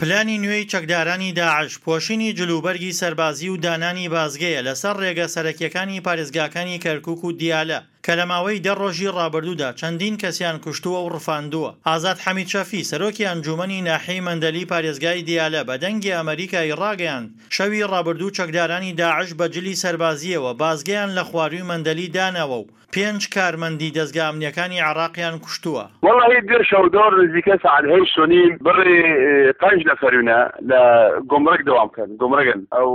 پلانی نوێی چەکدارانی داعش، پۆشینی جلوبەرگی سەربازی و دانانی بازگەیە لەسەر ڕێگە سەرەکییەکانی پارێزگاکانی کەرکوک و دیالە، کە لە ماوەی دە ڕۆژی ڕابردوودا چەندین کەسیان کوشتووە و ڕفاندووە. ئازاد حەمید شەفی، سەرۆکی ئەنجوومەنی ناحیەی مەندەلی پارێزگای دیالە بە دەنگی ئەمەریکای ڕاگەیاند، شەوی ڕابردوو چەکدارانی داعش بە جلی سەربازییەوە بازگەیان لە خوارووی مەندەلی داناوە و پێنج کارمەندی دەزگا ئەمنییەکانی عێراقیان کوشتووە. وەڵاهی دوێ شەو دۆر نزیکە ساعەت هەیشت و نیم بڕی پەنج نەفەرونە لە گومرگ دەوام کەن گومرگن ئەو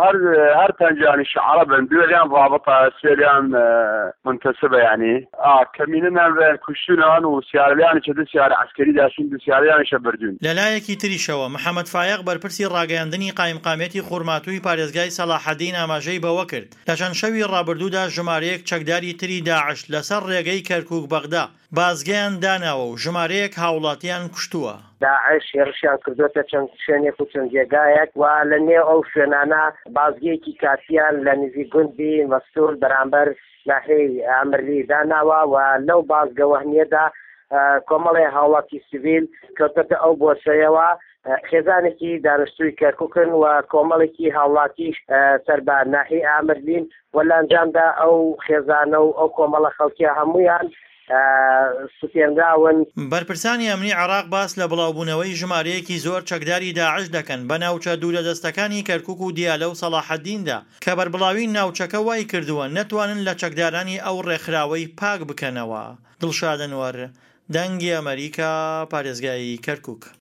هەر هەر پەنجانیش عەڕەبن دوێ لیان ڕابطە سێ لیان منتەسبە یانی ئا کەمینە نان کوشتونەوان و سیارە لیانیشە دو سیارە عەسکەری داشتون دو سیارەیانیشە بردون. لەلایەکی تریشەوە، محەمەد فایەق بەرپرسی ڕاگەیاندنی قایمقامیەتی خورماتووی پارێزگای سەڵاحەدین ئاماژەی بەوەکرد، لە چەند شەوی ڕابردوودا ژمارەیەک چەکداری تری داعش لەسەر ڕێگەی کەرکوک-بەغدا بازگەیان داناوە و ژمارەیەک هاوڵاتیان کوشتووە. داعش هێڕشیان کردۆتە چەند شوێنێک و چەند جێگایەک و لە نێو ئەو شوێنانە بازگەیەکی کاتییان لە نزیک گوندی مەستوور بەرامبەر ناحیەی ئامرلی داناوە و لەو بازگە وەهمییەدا کۆمەڵێ هاوڵاتی سڤیل کەوتۆتە ئەو بۆسەیەوە. خێزانێکی دانشتووی کەرکوکن و کۆمەڵێکی هاوڵاتیش سەر بە ناحیەی ئامرلین و لە ئەنجامدا ئەو خێزانە و ئەو کۆمەڵە خەڵکیە هەموویان سوتێنراون. بەرپرسانی ئەمنی عێراق باس لە بڵاوبوونەوەی ژمارەیەکی زۆر چەکداری داعش دەکەن بە ناوچە دوورەدەستەکانی کەرکوک و دیالە و سەڵاحەدیندا کە بەربڵاوی ناوچەکە وایکردووە نەتوانن لە چەکدارانی ئەو ڕێکخراوەی پاک بکەنەوە. دڵشاد ئەنوەر، دەنگی ئەمەریکا، پارێزگای کەرکوک.